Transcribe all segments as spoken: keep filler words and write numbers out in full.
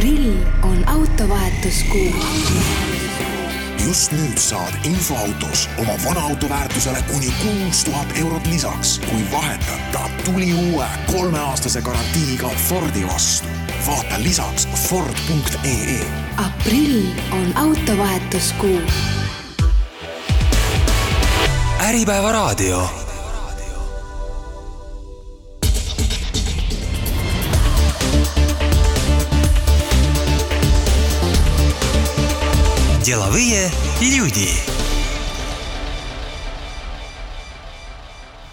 Aprill on autovahetuskuu. Just nüüd saad infoautos oma vana auto väärtusele kuni kuus tuhat eurot lisaks, kui vahetad ta tuli uue kolmeaastase garantiiga Fordi vastu. Vaata lisaks ford punkt ee. Aprill on autovahetuskuu. Äripäeva raadio. Деловые люди.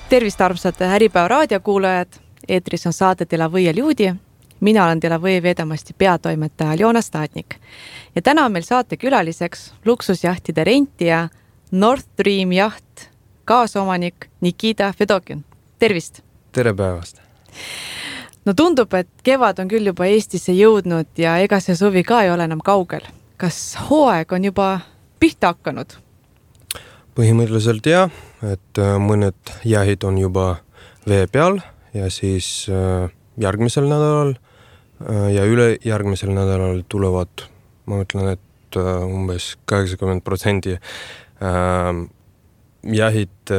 Tervist armsad Äripäeva raadiokuulajad. Eetris on saade Деловые люди. Mina olen Деловые vedamasti peatoimetaja Aljona Stadnik. Ja täna on meil saate külaliseks luksusjahtide rentija North Dream Yacht kaasomanik Nikita Fedokin. Tervist! Tere päevast! No tundub, et kevad on küll juba Eestisse jõudnud ja ega see suvi ka ei ole enam kaugel. Kas hooaeg on juba pihta hakanud? Põhimõtteliselt jah, et mõned jahid on juba vee peal ja siis järgmisel nädalal ja üle järgmisel nädalal tulevad, ma mõtlen, et umbes kaheksakümmend protsenti jahid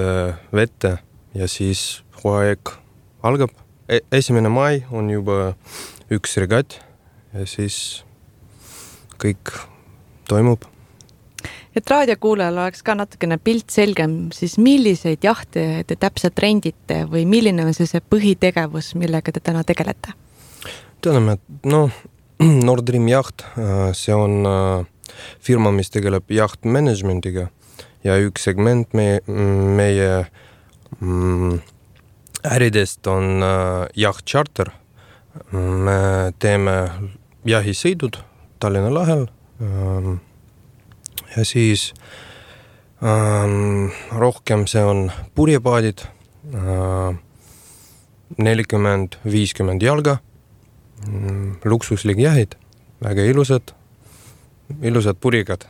vette ja siis hooaeg algab. Esimene mai on juba üks regat ja siis kõik toimub. Et raadiokuulajal oleks ka natukene pilt selgem, siis milliseid jahte te täpselt rendite või milline on see, see põhitegevus, millega te täna tegelete? Teadame, et no, North Dream Yacht, see on firma, mis tegeleb jaht managementiga ja üks segment meie, meie mm, äridest on jaht charter. Me teeme jahisõidud Tallinna lahel ja siis ähm, rohkem see on purjepaadid, äh, nelikümmend viiskümmend jalga, luksuslik jahid, väga ilusad, ilusad purjekad.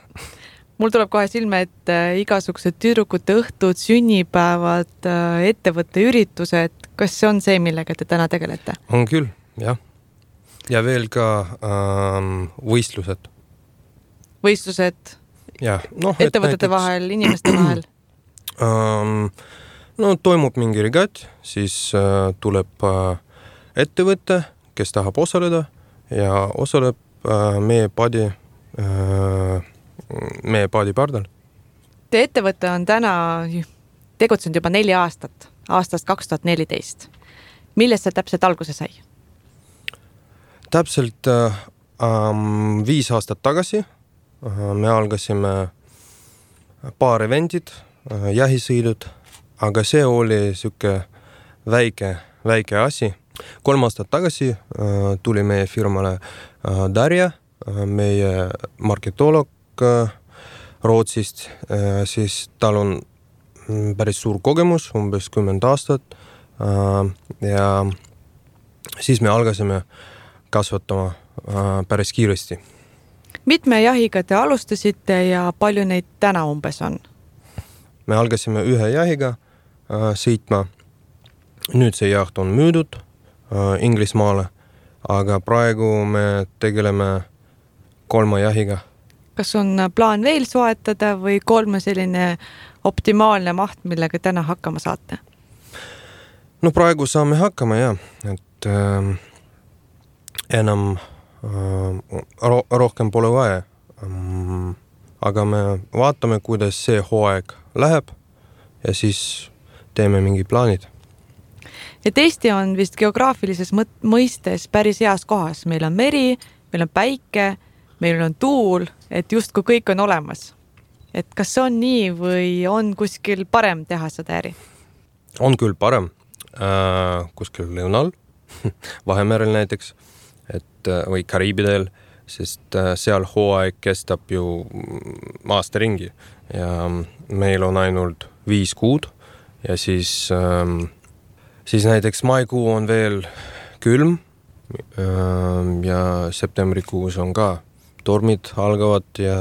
Mul tuleb kohe silme, et igasugused tüdrukute õhtud, sünnipäevad, ettevõtte üritused, kas see on see, millega te täna tegelete? On küll, jah. Ja veel ka ähm, võistlused. Võistlused ja, no, ettevõtete näiteks, vahel, inimeste vahel? Ähm, no toimub mingi regat, siis äh, tuleb äh, ettevõte, kes tahab osaleda ja osaleb äh, meie paadi, äh, meie paadi pardal. Te ettevõte on täna tegutsenud juba neli aastat, aastast kaks tuhat neliteist. Millest see täpselt alguse sai? Täpselt äh, viis aastat tagasi äh, me algasime paar eventid, äh, jahisõidud, aga see oli siuke väike, väike asi. Kolm aastat tagasi äh, tuli meie firmale äh, Darja, äh, meie marketolog äh, Rootsist, äh, siis tal on päris suur kogemus, umbes kümmend aastat äh, ja siis me algasime kasvatama äh, päris kiiresti. Mitme jahiga te alustasite ja palju neid täna umbes on? Me algasime ühe jahiga äh, sõitma. Nüüd see jaht on müüdud äh, Inglismaale, aga praegu me tegeleme kolma jahiga. Kas on plaan veel soetada või kolme selline optimaalne maht, millega täna hakkama saate? No praegu saame hakkama, jah. Et äh, enam äh, ro- rohkem pole vaja. Ähm, aga me vaatame, kuidas see hooaeg läheb ja siis teeme mingi plaanid. Et Eesti on vist geograafilises mõistes päris heas kohas. Meil on meri, meil on päike, meil on tuul, et justkui kõik on olemas. Et kas on nii või on kuskil parem teha seda äri? On küll parem. Äh, kuskil lõunal, Vahemerel näiteks, et, või Kariibidel, sest seal hooaeg kestab ju aasta ringi ja meil on ainult viis kuud ja siis, ähm, siis näiteks maikuu on veel külm ähm, ja septembrikuus on ka tormid algavad ja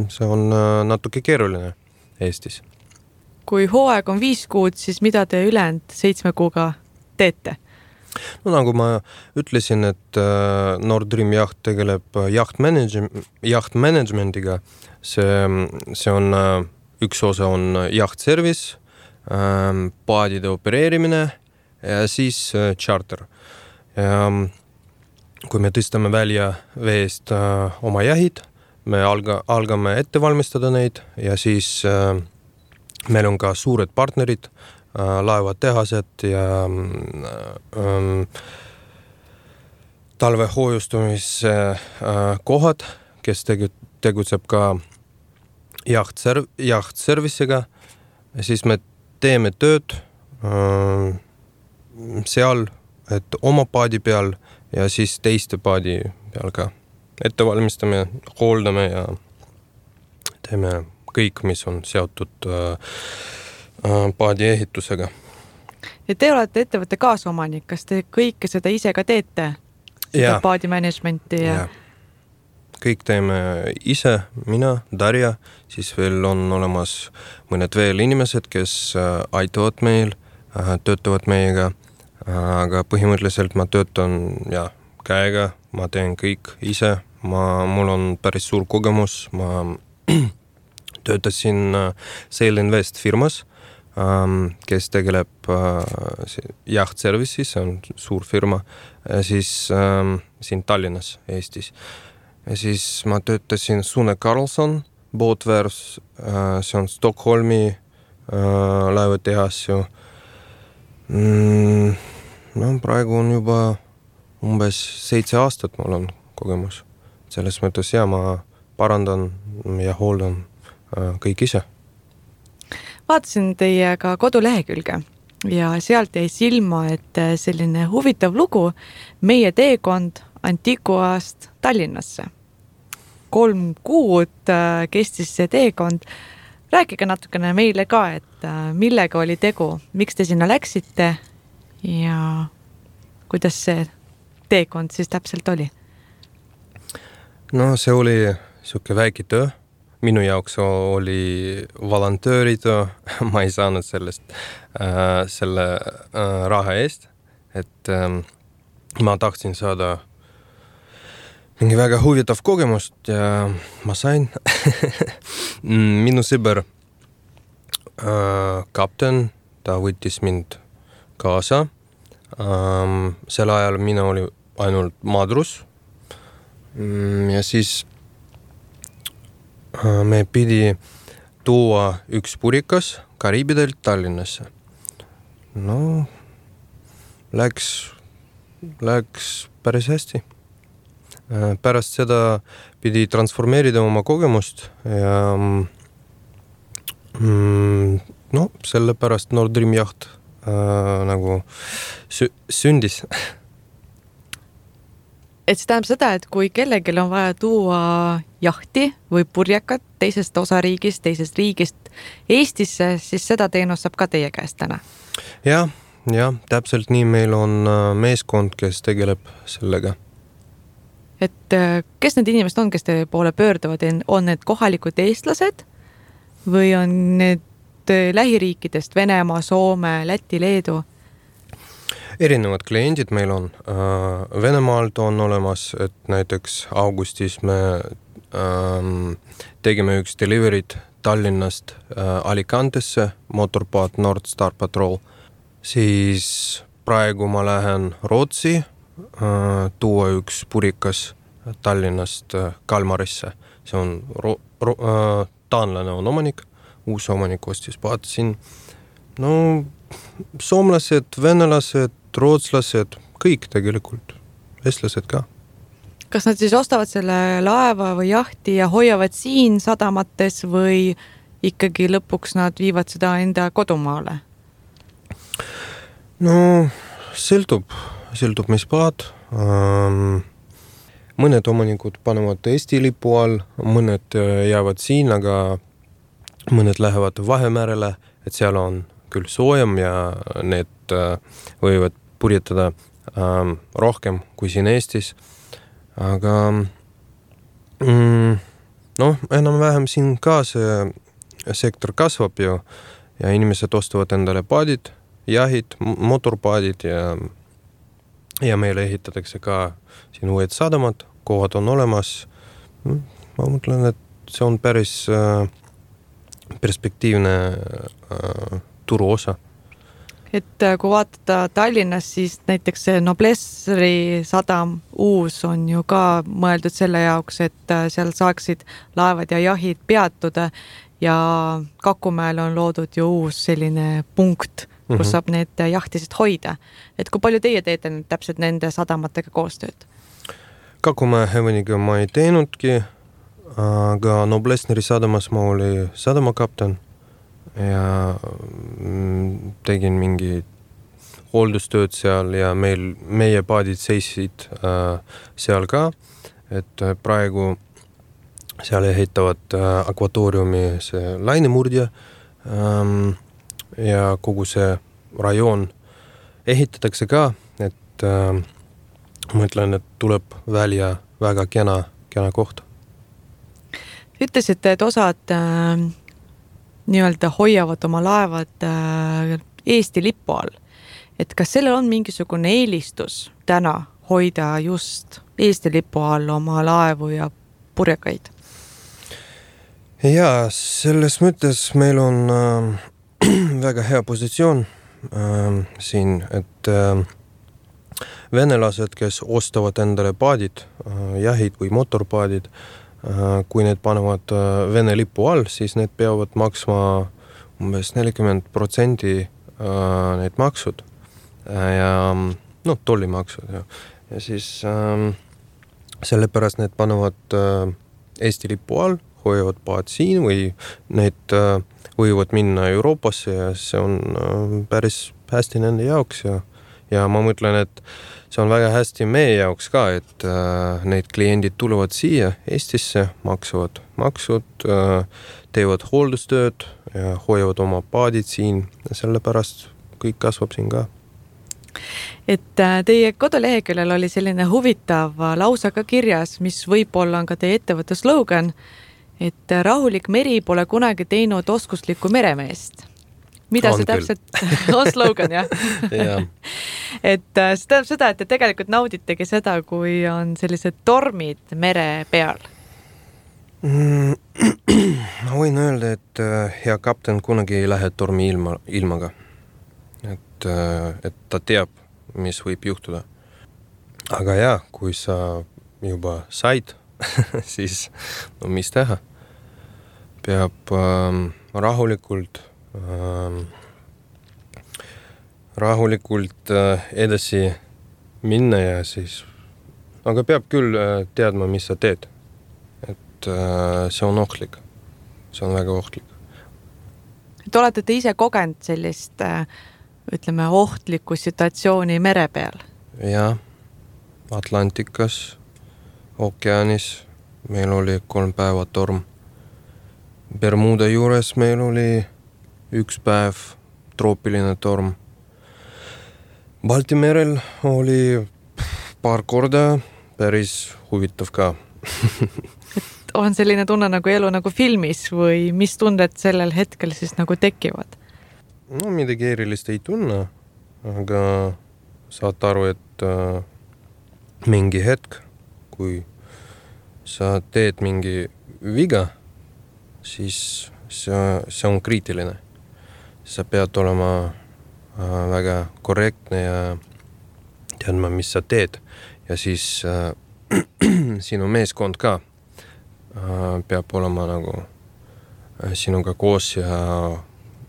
see on natuke keeruline Eestis. Kui hooaeg on viis kuud, siis mida te ülejäänud seitsme kuuga teete? no nagu ma ütlesin, et Nord Dream Yacht tegeleb yacht manage- yacht managemendiga. See, see on, üks osa on yacht service, paadide opereerimine ja siis charter. Ja kui me tõstame välja veest oma jahid, me alga, algame ette valmistada neid ja siis meil on ka suured partnerid, laevatehased ja ähm, talve hoojustumise äh, kohad, kes tegu, tegutseb ka jaht, serv, jaht servicega. Siis me teeme tööd äh, seal, et oma paadi peal ja siis teiste paadi peal ka ette valmistame, hooldame ja teeme kõik, mis on seotud äh, paadi ehitusega. Ja te olete ettevõtte kaasomanik, kas te kõike seda ise ka teete? Seda ja. Paadi managementi ja... ja... Kõik teeme ise, mina, Darja, siis veel on olemas mõned veel inimesed, kes aitavad meil, töötavad meiega, aga põhimõtteliselt ma töötan ja, käega, ma teen kõik ise, ma, mul on päris suur kogemus, ma töötasin Sail Invest firmas, kes tegeleb yacht service'is, see on suur firma, siis siin Tallinnas, Eestis. Ja siis ma töötasin Sune Carlson, Boatwares, see on Stockholmi laevatehas ju. No, praegu on juba umbes seitse aastat mul on kogemus. Selles mõttes ja ma parandan ja hooldan kõik ise. Vaatasin teie ka kodulehekülge ja sealt jäi silma, et selline huvitav lugu meie teekond Antiguast Tallinnasse. Kolm kuud kestis see teekond. Rääkige natukene meile ka, et millega oli tegu, miks te sinna läksite ja kuidas see teekond siis täpselt oli? No see oli siuke väike töö. Minu jaoks oli volontööritöö, ma ei saanud sellest äh, selle äh, raha eest, et äh, ma tahtsin saada mingi väga huvitav kogemust ja ma sain. Minu sõber äh, kapten, ta võttis mind kaasa. Ähm, sel ajal mina oli ainult madrus ja siis me pidi tuua üks purikas Kariibidelt Tallinnasse. No, läks, läks päris hästi. Pärast seda pidi transformeerida oma kogemust ja mm, no, selle pärast Nord Dream Yacht äh, nagu sü- sündis. Et see tähendab seda, et kui kellegil on vaja tuua jahti või purjekat teisest osariigist, teisest riigist Eestisse, siis seda teenust saab ka teie käest täna? Ja, ja, täpselt nii meil on meeskond, kes tegeleb sellega. Et kes need inimesed on, kes teie poole pöörduvad? On need kohalikud eestlased või on need lähiriikidest Venemaa, Soome, Läti, Leedu? Erinevad kliendid meil on. Venemaalt on olemas, et näiteks augustis me ähm, tegime üks deliverid Tallinnast äh, Alicantesse, motorpaat Nord Star Patrol. Siis praegu ma lähen Rootsi äh, tuua üks purikas Tallinnast äh, Kalmarisse. See on ro- ro- äh, taanlane on omanik, uus omanik ostis paat siin. No, soomlased, venelased, rootslased, kõik tegelikult, eestlased ka. Kas nad siis ostavad selle laeva või jahti ja hoiavad siin sadamates või ikkagi lõpuks nad viivad seda enda kodumaale? No, sõltub, sõltub mis paad. Ähm, mõned omanikud panevad Eesti lipu all, mõned jäävad siin, aga mõned lähevad Vahemerele, et seal on küll soojem ja need äh, võivad purjetada ähm, rohkem kui siin Eestis. Aga mm, noh, enam-vähem siin ka see sektor kasvab ju ja inimesed ostavad endale paadid, jahid, motorpaadid ja ja meile ehitatakse ka siin uued sadamad, kohad on olemas. Ma mõtlen, et see on päris äh, perspektiivne äh, turu osa. Et kui vaadata Tallinnas, siis näiteks see Noblessri sadam uus on ju ka mõeldud selle jaoks, et seal saaksid laevad ja jahid peatuda ja Kakumäel on loodud ju uus selline punkt, kus mm-hmm. saab need jahtisid hoida. Et kui palju teie teete täpselt nende sadamatega koostööd? Kakumäe Heveniga ma ei teenudki, aga Noblessri sadamas ma oli sadamakapten ja tegin mingi hooldustööd seal ja meil, meie paadid seisid äh, seal ka, et praegu seal ehitavad äh, akvatooriumi see lainemurdja ähm, ja kogu see rajoon ehitatakse ka, et äh, mõtlen, et tuleb välja väga kena, kena koht. Ütlesite, et osad äh... nii-öelda hoiavad oma laevad Eesti lipu all. Et kas sellel on mingisugune eelistus täna hoida just Eesti lipu all oma laevu ja purjekaid? Ja selles mõttes meil on äh, väga hea positsioon äh, siin, et äh, venelased, kes ostavad endale paadid, äh, jahid või motorpaadid, kui need panevad Vene lipu all, siis need peavad maksma umbes nelikümmend protsenti need maksud ja no, tollimaksud ja, ja siis ähm, sellepärast need panevad äh, Eesti lipu all, hoiavad paad siin või need äh, võivad minna Euroopasse ja see on äh, päris hästi nende jaoks ja, ja ma mõtlen, et see on väga hästi meie jaoks ka, et äh, need kliendid tulevad siia Eestisse, maksavad maksud, äh, teevad hooldustööd ja hoiavad oma paadid siin ja sellepärast kõik kasvab siin ka. Et äh, teie koduleheküljel oli selline huvitav lausa ka kirjas, mis võib-olla on ka teie ettevõtte slogan, et rahulik meri pole kunagi teinud oskuslikku meremeest. Mida on see täpselt on slogan, jah? ja. Et see tähendab seda, et te tegelikult nauditegi seda, kui on sellised tormid mere peal. Mm, ma võin öelda, et hea kapten kunagi ei lähe tormi ilma, ilmaga. Et, et ta teab, mis võib juhtuda. Aga jah, kui sa juba said, siis no mis teha? Peab ähm, rahulikult Ähm, rahulikult äh, edasi minna ja siis, aga peab küll äh, teadma, mis sa teed. Et äh, see on ohtlik. See on väga ohtlik. Et olete te ise kogenud sellist, äh, ütleme, ohtlikku situatsiooni mere peal? Ja, Atlantikas, ookeanis meil oli kolm päeva torm. Bermuda juures meil oli üks päev troopiline torm. Baltimerel oli paar korda päris huvitav ka. Et on selline tunne nagu elu nagu filmis või mis tunded sellel hetkel siis nagu tekivad? No midagi erilist ei tunne, aga saad aru, et äh, mingi hetk, kui sa teed mingi viga, siis see, see on kriitiline. Sa pead olema äh, väga korrektne ja teadma, mis sa teed. Ja siis äh, sinu meeskond ka äh, peab olema nagu äh, sinuga koos ja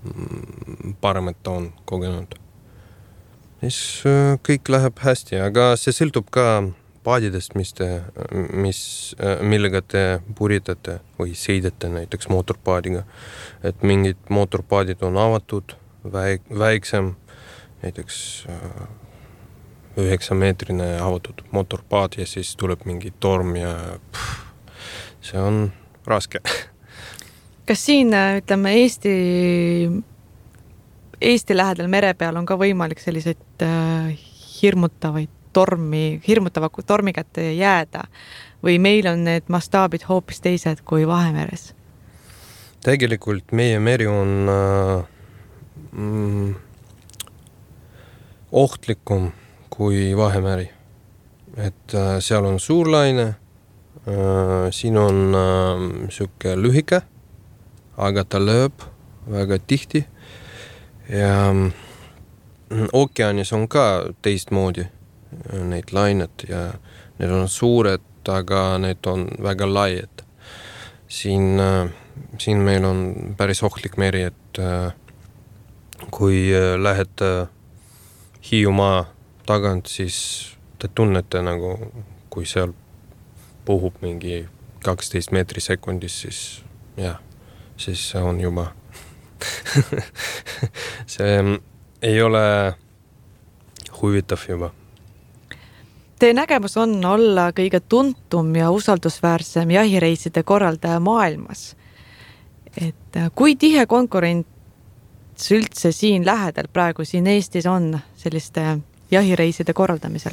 mm, parem, et ta on kogenud. Siis äh, kõik läheb hästi, aga see sõltub ka paadidest, mis te, mis, millega te puritate või sõidate näiteks mootorpaadiga. Et mingid mootorpaadid on avatud, väik, väiksem, näiteks üheksameetrine avatud mootorpaad ja siis tuleb mingi torm ja pff, see on raske. Kas siin, ütleme, Eesti, Eesti lähedal mere peal on ka võimalik selliseid hirmutavaid tormi, hirmutava tormi kätte jääda või meil on need mastaabid hoopis teised kui Vahemeres? Tegelikult meie meri on äh, mm, ohtlikum kui Vahemeri. Et äh, seal on suur laine, äh, siin on äh, siuke lühike, aga ta lööb väga tihti ja äh, ookeanis on ka teistmoodi äh, neid lainet ja need on suured, aga need on väga laied. Siin, äh, siin meil on päris ohtlik meri, et äh, kui äh, lähed äh, Hiiumaa tagant, siis te tunnete nagu, kui seal puhub mingi kaksteist meetri sekundis, siis jah, siis see on juba see ei ole huvitav juba. Teie nägemus on olla kõige tuntum ja usaldusväärsem jahireiside korraldaja maailmas. Et kui tihe konkurent üldse siin lähedal praegu siin Eestis on selliste jahireiside korraldamisel?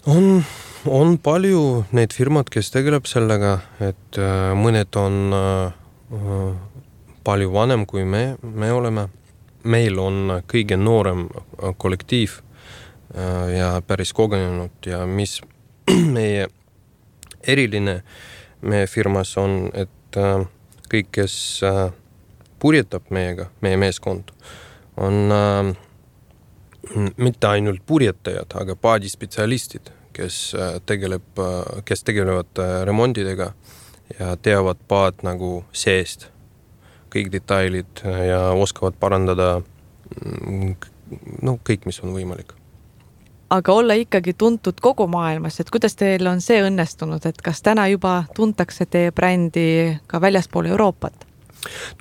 On, on palju neid firmad, kes tegeleb sellega, et äh, mõned on äh, palju vanem kui me, me oleme. Meil on kõige noorem kollektiiv äh, ja päris kogenenud ja mis meie eriline meie firmas on, et äh, kõik, kes äh, purjetab meiega, meie meeskond, on äh, mitte ainult purjetajad, aga paadispetsialistid, kes, äh, tegeleb, äh, kes tegelevad äh, remondidega ja teavad paad nagu seest, kõik detailid ja oskavad parandada no, kõik, mis on võimalik. Aga olla ikkagi tuntud kogu maailmas, et kuidas teil on see õnnestunud, et kas täna juba tuntakse teie brändi ka väljaspool Euroopat?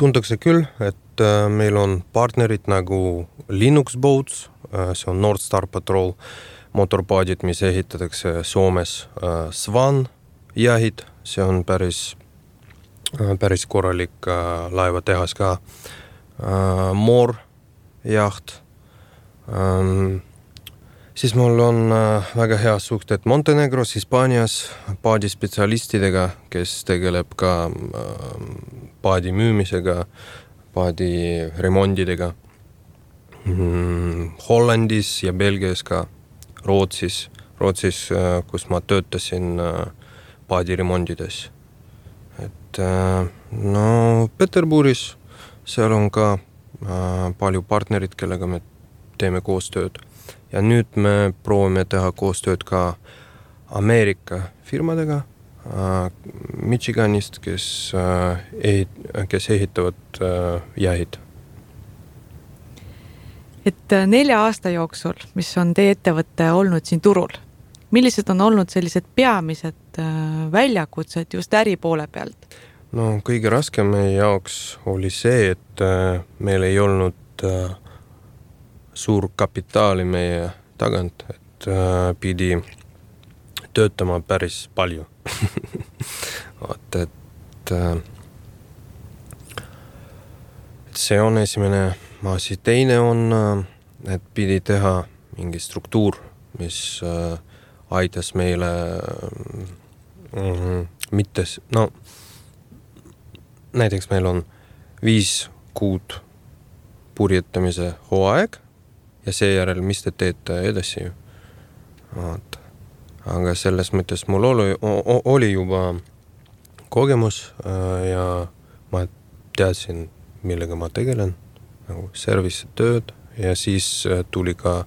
Tuntakse küll, et äh, meil on partnerid nagu Linux Boats, äh, see on North Star Patrol, motorpaadid, mis ehitatakse Soomes, äh, Swan jahid, see on päris, äh, päris korralik äh, laevatehas ka, äh, Moor jaht, ähm, siis mul on äh, väga hea suhted Montenegros, Hispaanias paadispetsialistidega, kes tegeleb ka äh, paadi müümisega, paadi remondidega. Mm, Hollandis ja Belgias ka, Rootsis, Rootsis, äh, kus ma töötasin äh, paadi remondides. Et äh, no Peterburis, seal on ka äh, palju partnerid, kellega me teeme koostööd. Ja nüüd me proovime teha koostööd ka Ameerika firmadega äh, Michiganist, kes, äh, ehit, kes ehitavad äh, jahid. Et nelja aasta jooksul, mis on teie ettevõtte olnud siin turul, millised on olnud sellised peamised äh, väljakutsed just äri poole pealt? No kõige raskem meie jaoks oli see, et äh, meil ei olnud äh, suur kapitaali meie tagant, et äh, pidi töötama päris palju. Vaat, et, äh, et see on esimene asi. Teine on, äh, et pidi teha mingi struktuur, mis äh, aitas meile äh, mitte, no näiteks meil on viis kuud purjetamise hooaeg, ja seejärel, mis te teete edasi. Vaat. Aga selles mõttes mul oli, oli juba kogemus ja ma teadsin, millega ma tegelen, nagu service tööd ja siis tuli ka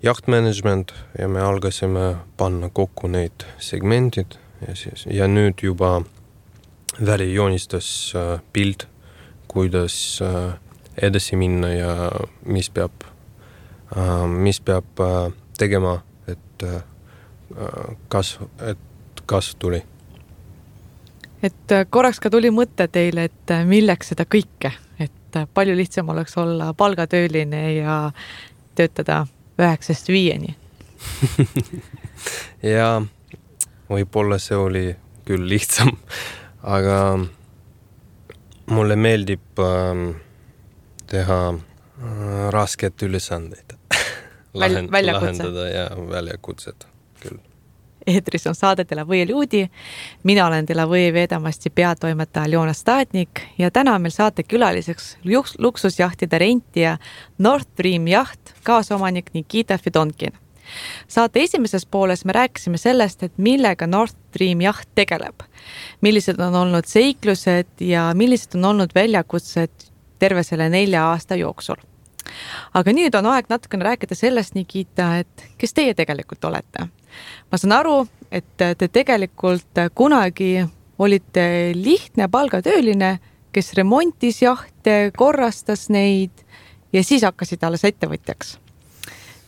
jahtmanagement ja me algasime panna kokku neid segmentid ja, siis, ja nüüd juba väli joonistas pild, kuidas edasi minna ja mis peab mis peab tegema, et kasv, et kasv tuli. Et korraks ka tuli mõte teile, et milleks seda kõike, et palju lihtsam oleks olla palgatööline ja töötada üheksast viieni. Ja võib-olla see oli küll lihtsam, aga mulle meeldib teha rasket ülesandeid. Lahend, lahendada ja väljakutset küll. Eetris on saade Delavõi Ljudi. Mina olen Delavõi Vedamasti peatoimetaja Aljona Stadnik ja täna meil saate külaliseks luksusjahtide rentija North Dream jaht kaasomanik Nikita Fedonkin. Saate esimeses pooles me rääkisime sellest, et millega Nord Stream jaht tegeleb, millised on olnud seiklused ja millised on olnud väljakutsed terve selle nelja aasta jooksul. Aga nüüd on aeg natukene rääkida sellest, Nikita, et kes teie tegelikult olete. Ma saan aru, et te tegelikult kunagi olite lihtne palgatööline, kes remontis jahte, korrastas neid ja siis hakkasid alles ettevõtjaks.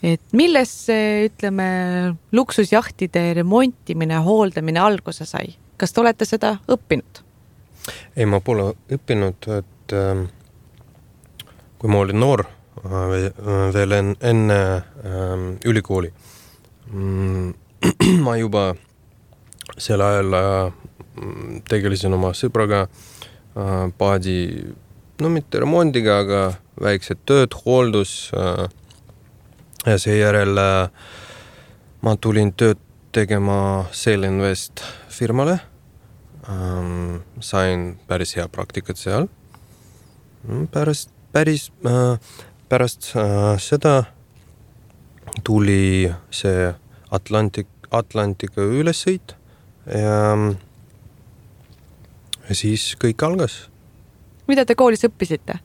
Et milles see, ütleme, luksusjahtide remontimine, hooldamine alguse sai? Kas te olete seda õppinud? Ei, ma pole õppinud, et äh, kui ma olin noor, veel enne äh, ülikooli, mm, ma juba sel ajal äh, tegelisin oma sõbraga äh, paadi, no mitte remondiga, aga väiksed tööd, hooldus äh, ja seejärel äh, ma tulin tööd tegema Sail Invest firmale. Ähm, sain päris hea praktikat seal. Pärast, päris, äh, pärast äh, seda tuli see Atlantik, Atlantika ülesõit ja, ja siis kõik algas. Mida te koolis õppisite?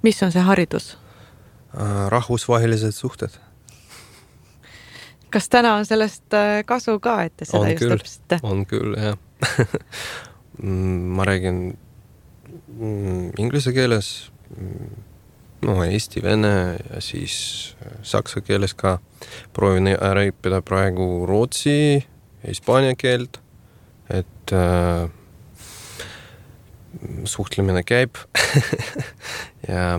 Mis on see haridus? Äh, rahvusvahelised suhted. Kas täna on sellest kasu ka, et te seda on just küll, õppisite? On küll, jah. Ma räägin inglise keeles, no eesti, vene ja siis saksa keeles ka. Proovin ära õppida praegu rootsi, hispaania keelt, et äh, suhtlemine käib. Ja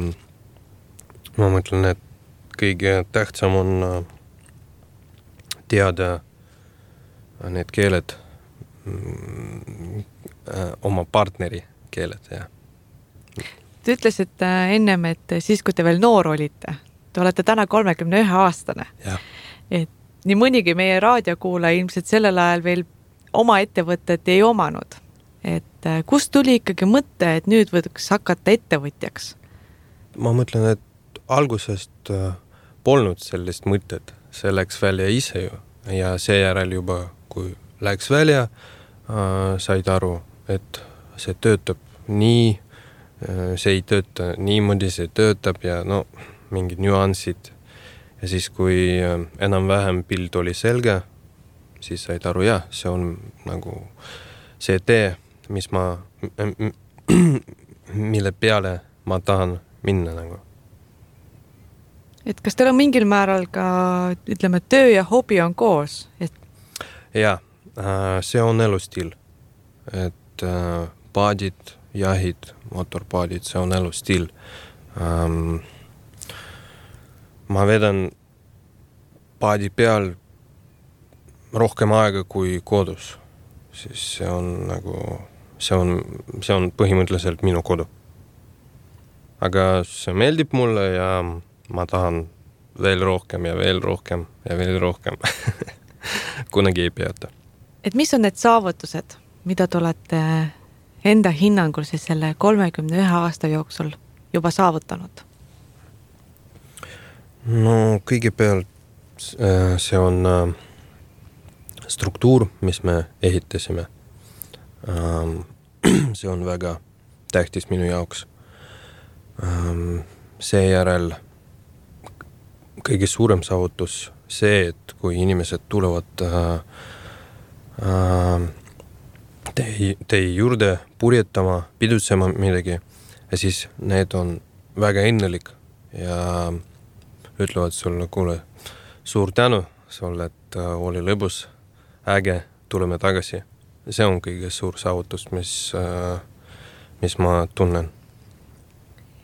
ma mõtlen, et kõige tähtsam on äh, teada need keeled, oma partneri keeled. Ja. Te ütlesite ennem, et siis, kui te veel noor olite, te olete täna kolmekümne ühe aastane. Ja. Et nii mõnigi meie raadiokuula ilmselt sellel ajal veel oma ettevõtet ei omanud. Et kust tuli ikkagi mõte, et nüüd võiks hakata ettevõtjaks? Ma mõtlen, et algusest polnud sellist mõtet. See läks välja ise ju ja seejärel juba, kui läks välja, äh, said aru, et see töötab nii, äh, see ei tööta niimoodi, see töötab ja no, mingid nüansid. Ja siis, kui äh, enam-vähem pilt oli selge, siis said aru, jah, see on nagu see tee, mis ma, mille peale ma tahan minna nagu. Et kas teil on mingil määral ka, ütleme, töö ja hobi on koos? Et... Ja, see on elustiil. Et paadid, jahid, motorpaadid, see on elustiil. Ma vedan paadi peal rohkem aega kui kodus. Siis see on nagu, see on, see on põhimõtteliselt minu kodu. Aga see meeldib mulle ja ma tahan veel rohkem ja veel rohkem ja veel rohkem. Kunagi ei peata. Et mis on need saavutused, mida te olete enda hinnangul siis selle kolmekümne ühe aasta jooksul juba saavutanud? No kõigepealt see on struktuur, mis me ehitasime. See on väga tähtis minu jaoks. Seejärel kõige suurem saavutus see, et kui inimesed tulevad äh, äh, tei, tei juurde purjetama, pidutsema midagi ja siis need on väga õnnelik ja ütlevad sulle, kuule, suur tänu sulle, et äh, oli lõbus, äge, tuleme tagasi. See on kõige suur saavutus, mis, äh, mis ma tunnen.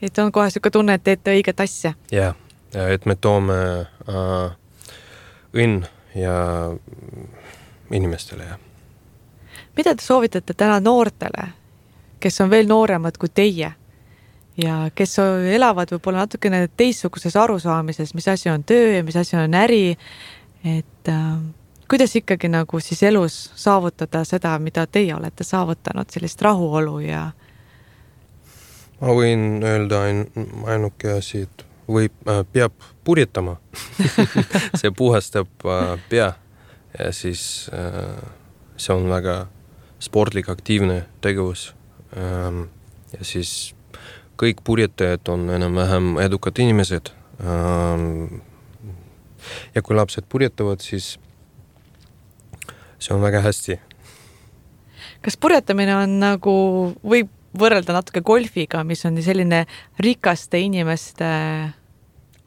Et on kohe siuke tunne, et teete õiget asja. Jah, ja et me toome äh, õnn ja inimestele. Ja. Mida te soovitate täna noortele, kes on veel nooremad kui teie ja kes elavad võib-olla natukene teistsuguses arusaamises, mis asi on töö ja mis asi on äri, et äh, kuidas ikkagi nagu siis elus saavutada seda, mida teie olete saavutanud, sellist rahuolu ja ma võin öelda ain, ainuke asi, et võib, äh, peab purjetama. See puhastab äh, pea ja siis äh, see on väga sportlik, aktiivne tegevus. Ähm, ja siis kõik purjetajad on enam-vähem edukad inimesed. Ähm, ja kui lapsed purjetavad, siis see on väga hästi. Kas purjetamine on nagu, võib võrrelda natuke golfiga, mis on selline rikaste inimeste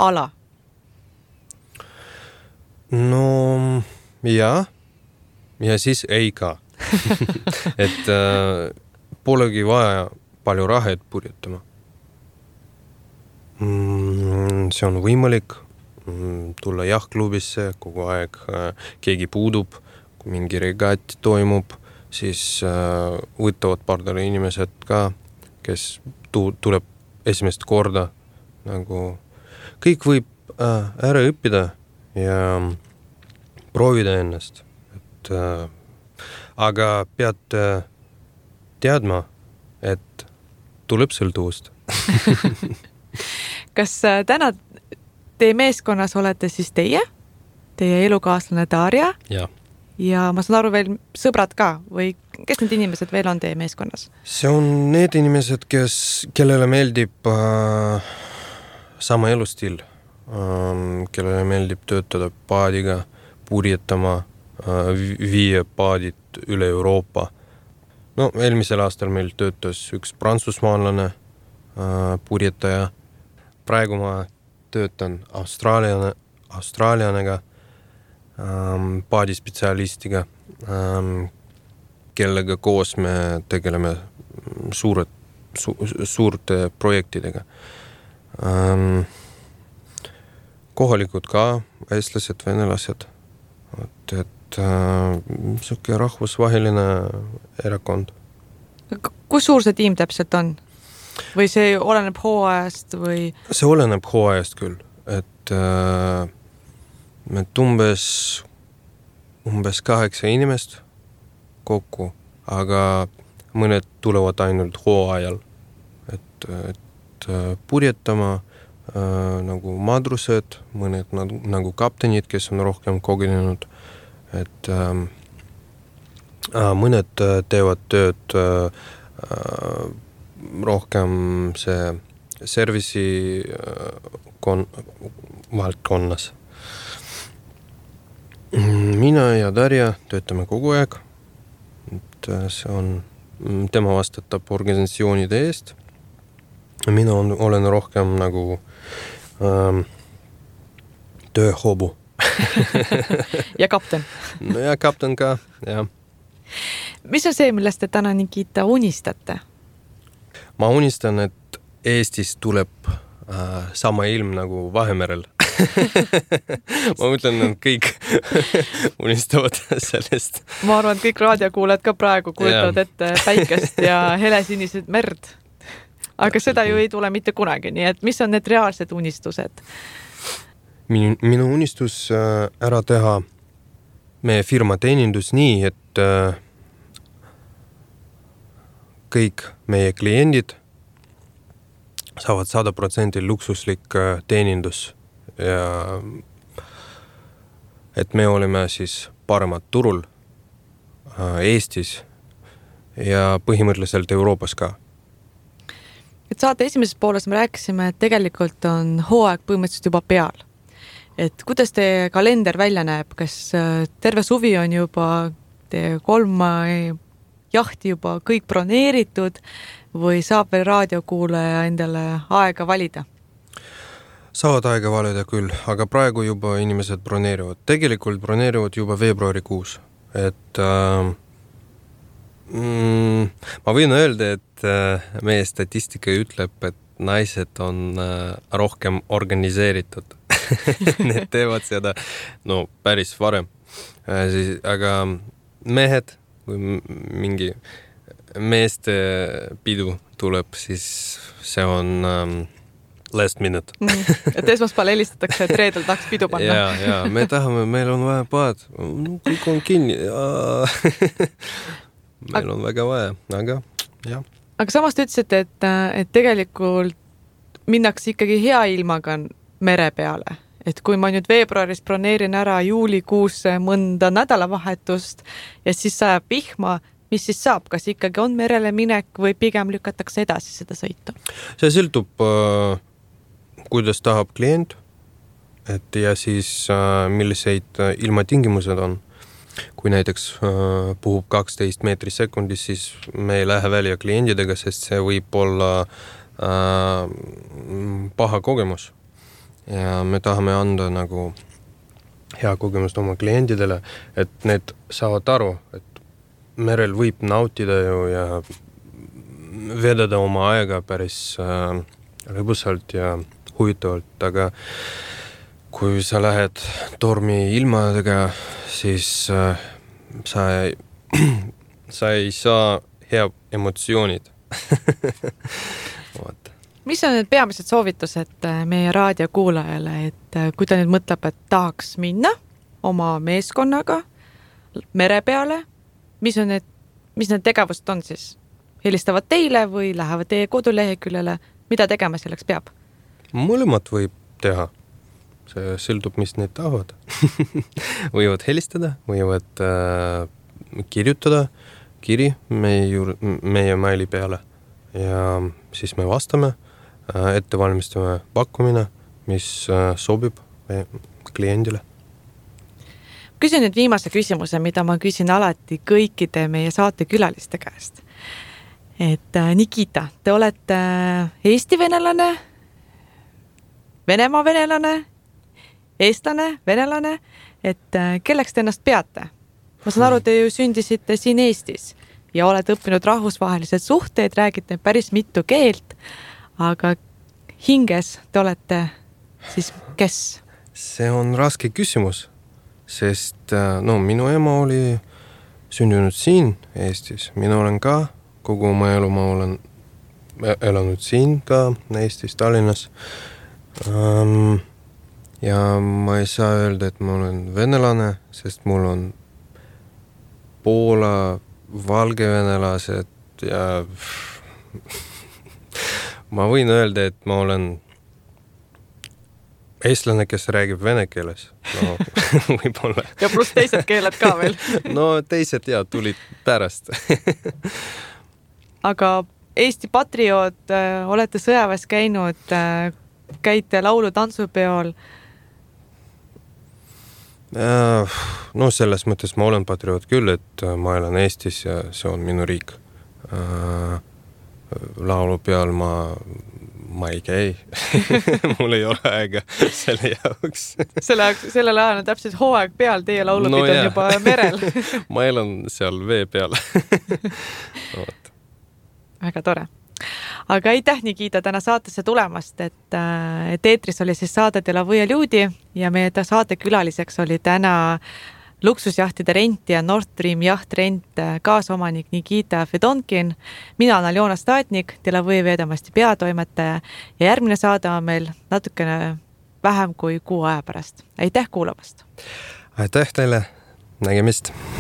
ala? No jaa, ja siis ei ka. et äh, polegi vaja palju raha, et purjetama. Mm, see on võimalik mm, tulla jahtklubisse, kogu aeg äh, keegi puudub, kui mingi regat toimub, siis äh, võtavad pardale inimesed ka, kes tu- tuleb esimest korda. Nagu kõik võib äh, ära õppida ja proovida ennast. Et, äh, aga pead äh, teadma, et tuleb sõltuvust. Kas äh, täna teie meeskonnas olete siis teie, teie elukaaslane Darja? Ja. Ja ma saan aru veel sõbrad ka või kes need inimesed veel on teie meeskonnas? See on need inimesed, kes, kellele meeldib äh, sama elustil, äh, kellele meeldib töötada paadiga, purjetama, äh, viia paadid üle Euroopa. No eelmisel aastal meil töötas üks prantsusmaalane äh, purjetaja. Praegu ma töötan Austraaliane, Austraalianega, ähm, paadispetsialistiga, ähm, kellega koos me tegeleme suured, su, suurte projektidega. Ähm, kohalikud ka, eestlased, venelased. Et, et äh, selline rahvusvaheline erakond. Kus suur see tiim täpselt on? Või see oleneb hooajast või? See oleneb hooajast küll, et äh, me umbes, umbes kaheksa inimest kokku, aga mõned tulevad ainult hooajal, et, et purjetama äh, nagu madrused, mõned nagu, nagu kaptenid, kes on rohkem kogenenud, et äh, mõned teevad tööd äh, rohkem see servisi kon- valdkonnas. Mina ja Darja töötame kogu aeg. Et see on, tema vastutab organisatsioonide eest. Mina on, olen rohkem nagu ähm, tööhobu. ja kapten. No ja kapten ka, jah. Mis on see, millest te täna Nikita unistate? Ma unistan, et Eestis tuleb äh, sama ilm nagu Vahemerel. Ma mõtlen, et kõik unistavad sellest. Ma arvan, et kõik raadiokuulajad ka praegu kujutavad ette päikest ja helesinised merd. Aga seda ju ei tule mitte kunagi, nii et mis on need reaalsed unistused? Minu, minu unistus äh, ära teha meie firma teenindus nii, et äh, kõik meie kliendid saavad sada protsenti luksuslik teenindus ja et me oleme siis paremad turul Eestis ja põhimõtteliselt Euroopas ka. Et saate esimeses pooles me rääkisime, et tegelikult on hooaeg põhimõtteliselt juba peal. Et kuidas teie kalender välja näeb? Kas terve suvi on juba teie kolm jahti juba kõik broneeritud või saab veel raadiokuulaja endale aega valida? Saavad aega valida küll, aga praegu juba inimesed broneerivad. Tegelikult broneerivad juba veebruarikuus. Et äh, mm, ma võin öelda, et äh, meie statistika ütleb, et naised on äh, rohkem organiseeritud. Need teevad seda no, päris varem. Äh, siis, aga mehed kui mingi meeste pidu tuleb, siis see on um, last minute. mm, et esmaspäeval helistatakse, et reedel tahaks pidu panna. ja, ja, me tahame, meil on vaja paad. Kõik on kinni. meil on väga vaja, aga jah. Aga samas te ütlesite, et, et tegelikult minnakse ikkagi hea ilmaga mere peale. et kui ma nüüd veebruaris broneerin ära juulikuusse mõnda nädalavahetust ja siis sajab vihma, mis siis saab, kas ikkagi on merele minek või pigem lükatakse edasi seda sõitu? See sõltub, kuidas tahab klient, et ja siis milliseid ilmatingimused on. Kui näiteks puhub kaksteist meetri sekundis, siis me ei lähe välja kliendidega, sest see võib olla äh, paha kogemus. Ja me tahame anda nagu hea kogemust oma kliendidele, et need saavad aru, et merel võib nautida ju ja vedada oma aega päris äh, lõbusalt ja huvitavalt, aga kui sa lähed tormi ilmadega, siis äh, sa, ei, sa ei saa hea emotsioonid. Mis on need peamised soovitused meie raadiokuulajale, et kui ta nüüd mõtleb, et tahaks minna oma meeskonnaga mere peale, mis on need, mis need tegevused on siis? Helistavad teile või lähevad teie koduleheküljele? Mida tegema selleks peab? Mõlemat võib teha. See sõltub, mis need tahavad. Võivad helistada, võivad äh, kirjutada kiri meie, meie maili peale ja siis me vastame, äh, ette valmistame pakkumine, mis äh, sobib kliendile. Küsin nüüd viimase küsimuse, mida ma küsin alati kõikide meie saatekülaliste käest. Et äh, Nikita, te olete Eesti venelane, Venemaa venelane, eestlane, venelane, et kelleks te ennast peate? Ma saan aru, te ju sündisite siin Eestis ja olete õppinud rahvusvahelised suhteid, räägite päris mitu keelt, aga hinges te olete siis kes? See on raske küsimus, sest no, minu ema oli sündinud siin Eestis. Mina olen ka, kogu oma elu ma olen elanud siin ka Eestis, Tallinnas. Um, ja ma ei saa öelda, et ma olen venelane, sest mul on Poola, valgevenelased ja ma võin öelda, et ma olen eestlane, kes räägib vene keeles. No, võib-olla. Ja pluss teised keeled ka veel. No teised ja tulid pärast. Aga Eesti patrioot, olete sõjaväes käinud, käite laulu tantsupeol? No selles mõttes ma olen patrioot küll, et ma elan Eestis ja see on minu riik. Laulu peal ma, ma ei käi. Mul ei ole aega selle jaoks. Selle, sellel ajal on täpselt hooaeg peal, teie laulupid no, on juba merel. Ma elan seal vee peal. Väga tore. Aga aitäh, Nikita, täna saatesse tulemast, et, et eetris oli siis saade De la Võia Ljudi ja meie saate külaliseks oli täna luksusjahtide rent ja Nord Stream jahtrent kaasomanik Nikita Fedonkin. Mina olen Aljona Statnik, De la Võia Vedamasti peatoimetaja ja järgmine saade on meil natukene vähem kui kuu aja pärast. Aitäh kuulamast! Aitäh teile! Nägemist!